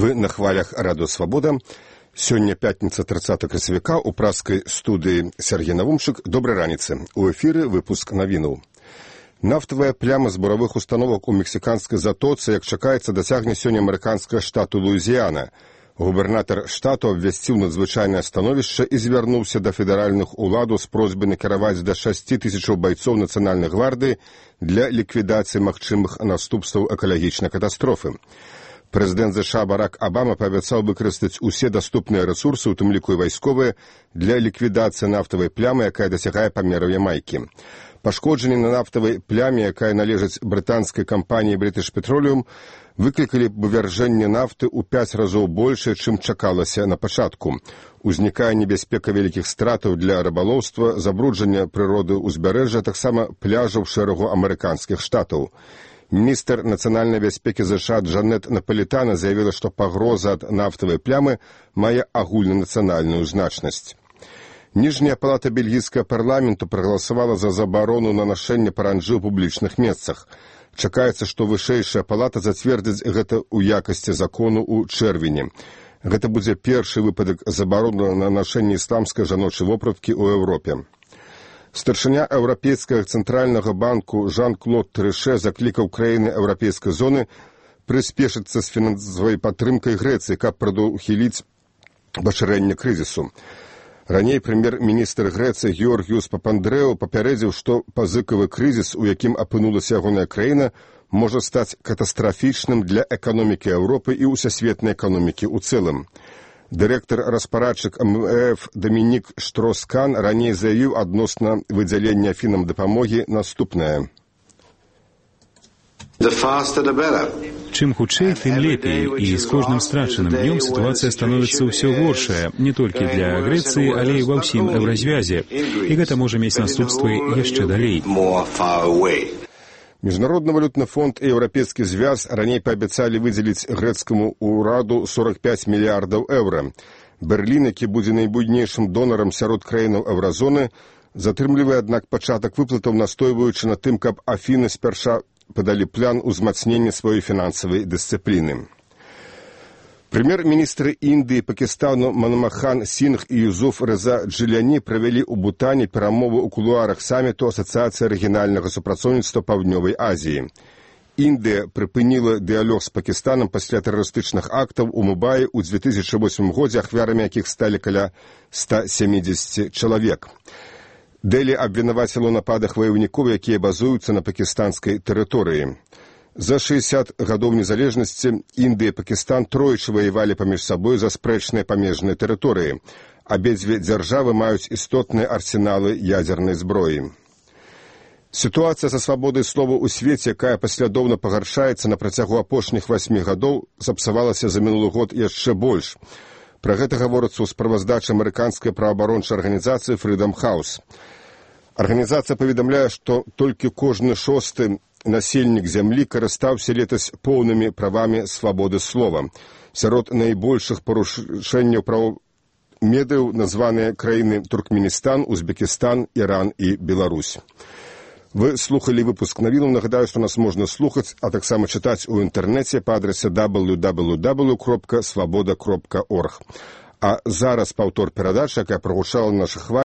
Вы на хвалях Радио Свобода. Сёння пятница 30 красавіка у праскай студыі Сергей Навумчык. Добрай раніцы. У эфіры выпуск навінаў. Нафтавая пляма з буровых установак у мексіканскай затоцы, як чакаецца, дасягне сёння амерыканскага штату Луізіяна. Губернатар штату абвясціў надзвычайнае становішча і звярнуўся да федэральных уладаў з просьбай накіраваць да 6 тысячаў байцоў нацыянальнай гвардыі для ліквідацыі магчымых наступстваў экалагічнай катастрофы. Прэзідэнт ЗША Барак Абама паабяцаў выкарыстаць усе даступныя рэсурсы, у тым ліку і вайсковыя, для ліквідацыі нафтавай плямы, якая дасягае памераў Ямайкі. Пашкоджанні на нафтавай пляме, якая належыць брытанскай кампаніі British Petroleum, выклікалі вывяржэнне нафты ў 5 разоў большае, чым чакалася на пачатку. Узнікае небяспека вялікіх стратаў для рыбалоўства, забруджання прыроды ўзбярэжжа, таксама пляжаў шэрагу амерыканскіх штатаў. Міністр нацыянальнай бяспекі ЗША Джанет Наполітана заявіла, што пагроза ад нафтавай плямы мае агульнанацыянальную значнасць. Ніжняя палата бельгійскага парламенту прагаласавала за забарону на нашэнне паранджы ў публічных месцах. Чакаецца, што вышэйшая палата зацвердзіць гэта ў якасці закону ў чэрвені. Гэта будзе першы выпадак забароны на нашэнне ісламскай жаночай вопраткі ў Еўропе. Старшыня Еўрапейскага цэнтральнага банку Жан-Клод Трыше заклікаў краіны еўрапейскай зоны прыспешыцца з фінансавай падтрымкай Грэцыі, каб прадухіліць пашырэнне крызісу. Раней прэм'ер-міністр Грэцыі Георгіус Папандрэу папярэдзіў, што пазыкавы крызіс, у якім апынулася ягоная краіна, можа стаць катастрафічным для эканомікі Еўропы і ўсесветнай эканомікі ў цэлым. Дырэктар-распарадчык МВФ Дамінік Штроскан раней заявіў адносна выдзялення Афінам дапамогі наступнае. Чым хутчэй, тым лепей, і з кожным страчаным днём сітуацыя становіцца ўсё горшая, не толькі для Грэцыі, але і ва ўсім еўразвязе, і гэта можа мець наступствы яшчэ далей. Міжнародны валютны фонд і Еўрапейскі звяз раней паабяцалі выдзеліць грэцкаму ўраду 45 мільярдаў еўра. Берлін, які будзе найбуйнейшым донарам сярод краінаў еўразоны, затрымлівае, аднак, пачатак выплатаў, настойваючы на тым, каб Афіны спярша падалі план узмацнення сваёй фінансавай дысцыпліны. Прэм'ер-міністры Індыі і Пакістану Манмохан Сінгх і Юсуф Рэза Джиляні правялі ў Бутане перамовы ў кулуарах саміту Асацыяцыі рэгіянальнага супрацоўніцтва Паўднёвай Азіі. Індыя прыпыніла дыялог з Пакістанам пасля тэрарыстычных актаў у Мумбаі ў 2008 годзе, ахвярамі якіх сталі каля 170 чалавек. Дэлі абвінаваціла ў нападах ваяўнікоў, якія базуюцца на пакістанскай тэрыторыі. За 60 гадоў незалежнасці Індыя і Пакістан тройчы ваявалі паміж сабой за спрэчныя памежныя тэрыторыі. Абедзве дзяржавы маюць істотныя арсеналы ядзернай зброі. Сітуацыя са свабодай слова ў свеце, якая паслядоўна пагаршаецца на працягу апошніх 8 гадоў, сапсавалася за мінулы год яшчэ больш. Пра гэта гаворыцца ў справаздачы амерыканскай праваабарончай арганізацыі Freedom House. Арганізацыя паведамляе, што толькі кожны 6-ы насельнік зямлі карыстаўся летась поўнымі правамі свабоды слова. Сярод найбольшых парушэнняў праў медыяў названыя краіны Туркменістан, Узбекістан, Іран і Беларусь. Вы слухалі выпуск навінаў. Нагадаю, што нас можна слухаць, а таксама чытаць у інтэрнэце па адрасе www.svoboda.org. А зараз паўтор перадачы, якая прагучала на нашых хвалях.